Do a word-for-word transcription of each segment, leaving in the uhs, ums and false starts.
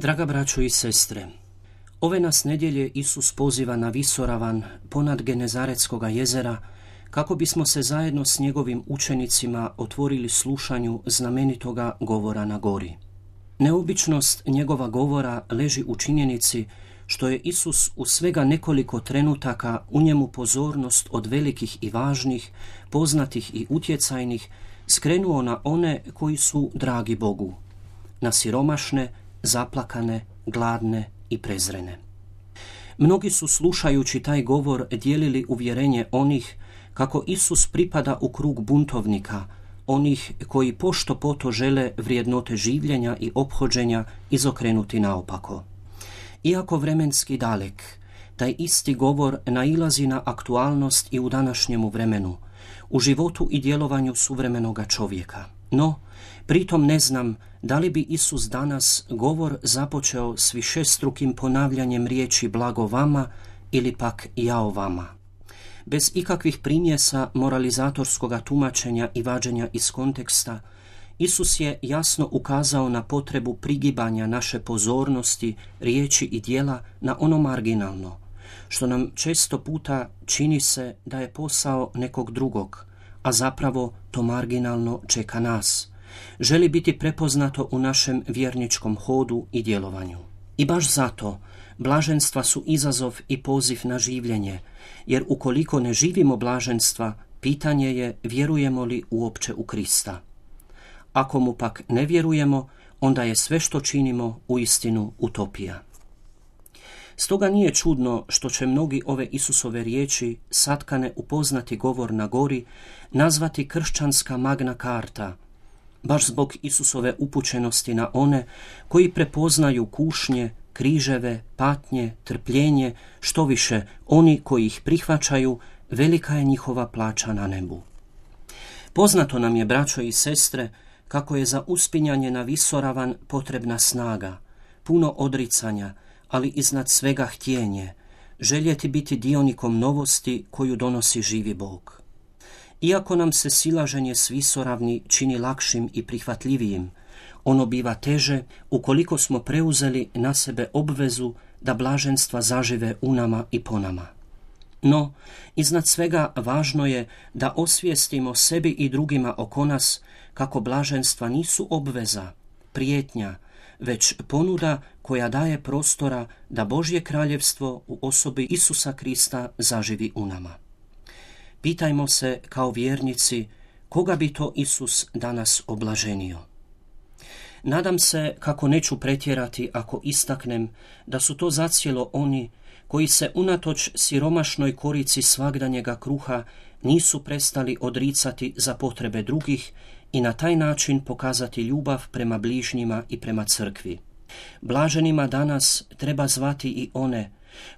Draga braćo i sestre, ove nas nedjelje Isus poziva na visoravan ponad Genezaretskoga jezera kako bismo se zajedno s njegovim učenicima otvorili slušanju znamenitoga govora na gori. Neobičnost njegova govora leži u činjenici što je Isus u svega nekoliko trenutaka u njemu pozornost od velikih i važnih, poznatih i utjecajnih skrenuo na one koji su dragi Bogu, na siromašne, zaplakane, gladne i prezrene. Mnogi su slušajući taj govor dijelili uvjerenje onih kako Isus pripada u krug buntovnika, onih koji pošto poto žele vrijednote življenja i ophođenja izokrenuti naopako. Iako vremenski dalek, taj isti govor nailazi na aktualnost i u današnjemu vremenu, u životu i djelovanju suvremenoga čovjeka. No, pritom ne znam da li bi Isus danas govor započeo s višestrukim ponavljanjem riječi blago vama ili pak jao vama. Bez ikakvih primjesa moralizatorskoga tumačenja i vađenja iz konteksta, Isus je jasno ukazao na potrebu prigibanja naše pozornosti, riječi i djela na ono marginalno, što nam često puta čini se da je posao nekog drugog, a zapravo to marginalno čeka nas. Želi biti prepoznato u našem vjerničkom hodu i djelovanju. I baš zato blaženstva su izazov i poziv na življenje, jer ukoliko ne živimo blaženstva, pitanje je vjerujemo li uopće u Krista. Ako mu pak ne vjerujemo, onda je sve što činimo uistinu utopija. Stoga nije čudno što će mnogi ove Isusove riječi, satkane u poznati govor na gori, nazvati kršćanska magna carta, baš zbog Isusove upućenosti na one koji prepoznaju kušnje, križeve, patnje, trpljenje, što više, oni koji ih prihvaćaju, velika je njihova plaća na nebu. Poznato nam je, braćo i sestre, kako je za uspinjanje na visoravan potrebna snaga, puno odricanja, ali iznad svega htjenje, željeti biti dionikom novosti koju donosi živi Bog. Iako nam se silaženje s visoravni čini lakšim i prihvatljivijim, ono biva teže ukoliko smo preuzeli na sebe obvezu da blaženstva zažive u nama i po nama. No, iznad svega važno je da osvijestimo sebi i drugima oko nas kako blaženstva nisu obveza, prijetnja, već ponuda koja daje prostora da Božje kraljevstvo u osobi Isusa Krista zaživi u nama. Pitajmo se kao vjernici koga bi to Isus danas oblaženio. Nadam se kako neću pretjerati ako istaknem da su to zacijelo oni koji se unatoč siromašnoj korici svagdanjega kruha nisu prestali odricati za potrebe drugih i na taj način pokazati ljubav prema bližnjima i prema crkvi. Blaženima danas treba zvati i one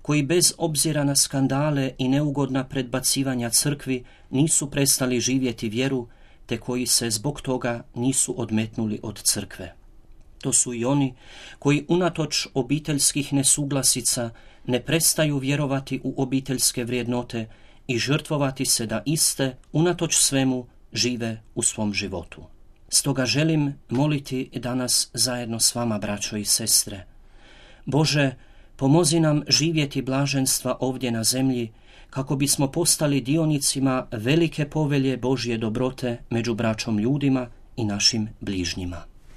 koji bez obzira na skandale i neugodna predbacivanja crkvi nisu prestali živjeti vjeru, te koji se zbog toga nisu odmetnuli od crkve. To su i oni koji unatoč obiteljskih nesuglasica ne prestaju vjerovati u obiteljske vrijednote i žrtvovati se da iste, unatoč svemu, žive u svom životu. Stoga želim moliti danas zajedno s vama, braćo i sestre. Bože, pomozi nam živjeti blaženstva ovdje na zemlji, kako bismo postali dionicima velike povelje Božje dobrote među braćom ljudima i našim bližnjima.